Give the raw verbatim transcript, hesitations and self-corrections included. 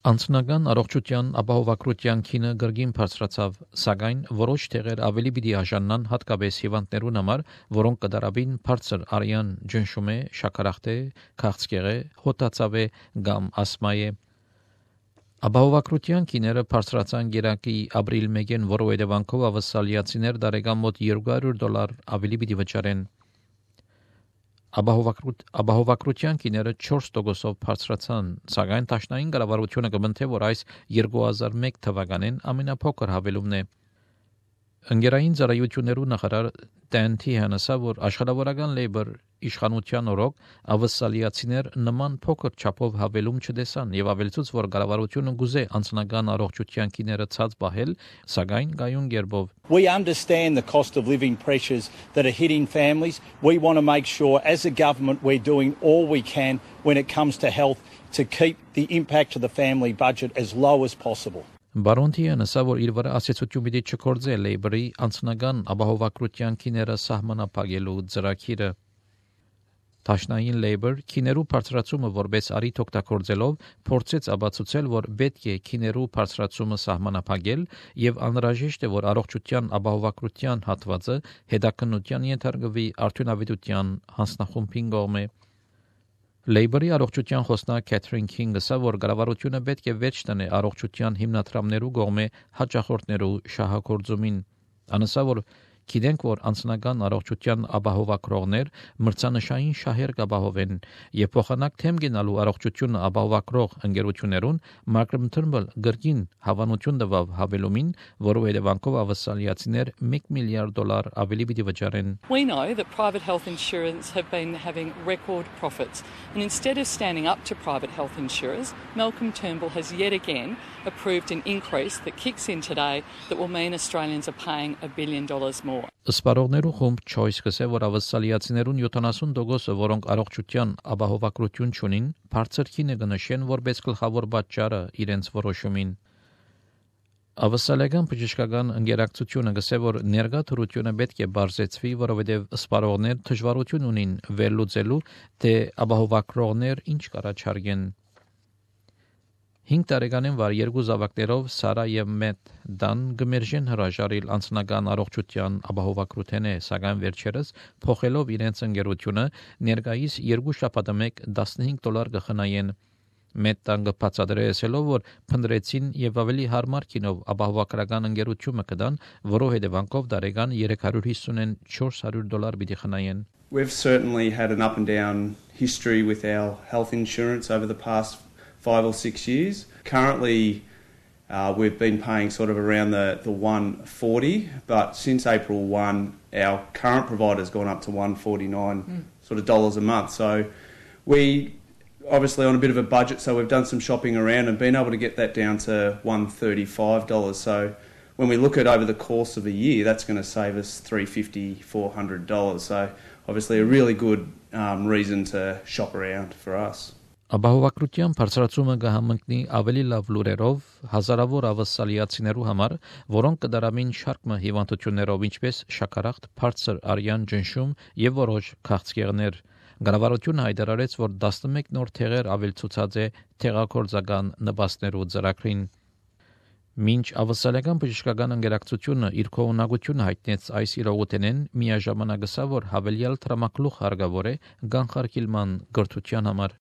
Անձնական առողջության ապահովագրության քինը գրգին բարձրացավ, սակայն որոշ տեղեր ավելի պիտի արժանան հատկապես հիվանդներուն համար, որոնք կդարաբին բարձր արյան ջնշում է, շաքարախտե, քաղցկեղե, հոտածավե կամ ասմայե։ Ապահովագրության քիները բարձրացան գերակի ապրիլ մեկին, որով հետևանքով ավստրալիացիներ դարեկան մոտ երկու հարյուր դոլար ավելի պիտի վճարեն։ Ապահովագրության քիները չորս տոկոսով բարձրացան, սակայն Դաշնային կառավարությունը կմնթե, որ այս երկու հազար մեկ թվականին ամենափոքր հավելումն է։ Ընկերային ծառայություններու նախարար Dan Tehan ասավ, որ աշխարհավորական լեյբր իշխանության օրոք ավստրալիացիներ նման փոքր չափով հավելում չտեսան եւ ավելցուց, որ կառավարությունը գուզե անձնական առողջության քիները ցած պահել, սակայն գայուն գերբով։ We understand the cost of living pressures that are hitting families. We want to make sure as a government we're doing all we can when it comes to health to keep the impact of the family budget as low as possible. Բարոնթիան ասա, որ իր վրա ասացություն պիտի չկործե լեյբրի անձնական ապահովագրության քիները սահմանափակելու ծրագիրը։ Դաշնային լեյբր քիներու բարձրացումը որպես արիթ օգտագործելով փորձեց ապացուցել, որ պետք է քիներու բարձրացումը սահմանափակել եւ անհրաժեշտ է, որ առողջության ապահովագրության հատվածը հետաքննության ենթարկվի արդյունավետության հանձնախումբին կողմէ։ Լեյբերի առողջության խոսնակ Քեթրին Քինգը ասա, որ կառավարությունը պետք է վերջ տնե առողջության հիմնադրամներու կողմէ հաճախորդներու շահագործումին։ Անասա, որ գիտենք, որ անձնական առողջության ապահովագրողներ մրցանշային շահեր կապահովեն եւ փոխանակ թեմ գնալու առողջությունը ապահովագրող ընկերություններուն Malcolm Turnbull գրգին հավանություն տվավ հավելումին, որով հետևանքով ավստրալիացիներ մեկ միլիարդ դոլար ավելի պիտի վճարեն։ We know that private health insurers have been having record profits, and instead of standing up to private health insurers, Malcolm Turnbull has yet again approved an increase that kicks in today that will mean Australians are paying a billion dollars more. Սպարողներու խումբ Choice կսե, որ ավստրալիացիներուն յոթանասուն տոկոսը, որոնք առողջության ապահովագրություն չունին, բարձր քինը կնշեն որպես գլխավոր պատճառը իրենց որոշումին։ Ավստրալիական բժշկական ընկերակցությունը կսե, որ ներկա թրությունը պետք է բարձեցվի, որովհետև սպարողներ դժվարություն ունին վերլուծելու, թե ապահովագրողներ ինչ կառաջարկեն։ Հինգ տարեկանին վար երկու զավակներով Սարա եւ Մեթ Դան գմերժեն հրաժարիլ անձնական առողջության ապահովագրութեն է, սակայն վերջերս փոխելով իրենց ընկերությունը ներկայիս երկու շաբաթը մեկ տասնհինգ դոլար կխնայեն։ Մեթ Դան բացատրեցելով, որ փնտրեցին եւ ավելի հարմար քինով ապահովագրական ընկերությունը կդան, որով հետևանքով տարեկան երեք հարյուր հիսունչորս հարյուր դոլար պիտի խնայեն։ We've certainly had an up and down history with our health insurance over the past five or six years. Currently, uh, we've been paying sort of around the, the one forty, but since April first, our current provider's gone up to one forty-nine mm. sort of dollars a month. So we obviously on a bit of a budget, so we've done some shopping around and been able to get that down to one thirty-five dollars. So when we look at over the course of a year, that's going to save us three fifty, four hundred dollars. So obviously a really good um, reason to shop around for us. Ապահովագրության բարձրացումը կհամընկնի ավելի լավ լուրերով հազարավոր ավստրալիացիներու համար, որոնք կդարամին շարք հիվանդություններով, ինչպես շաքարախտ, բարձր արյան ջնշում եւ որոշ քաղցկեղներ։ Կառավարությունը հայտարարեց, որ տասնմեկ նոր թեղեր ավելցուցած է թեղակորձական նպաստներու ծրագրին։ Մինչ ավստրալիական բժշկական ընկերակցությունը իր կողմնակությունը հայտնեց այս իրողութենեն, միաժամանակ ասա, որ հավելյալ տրամակլուխ հարկավոր է կանխարգելման գրթության համար։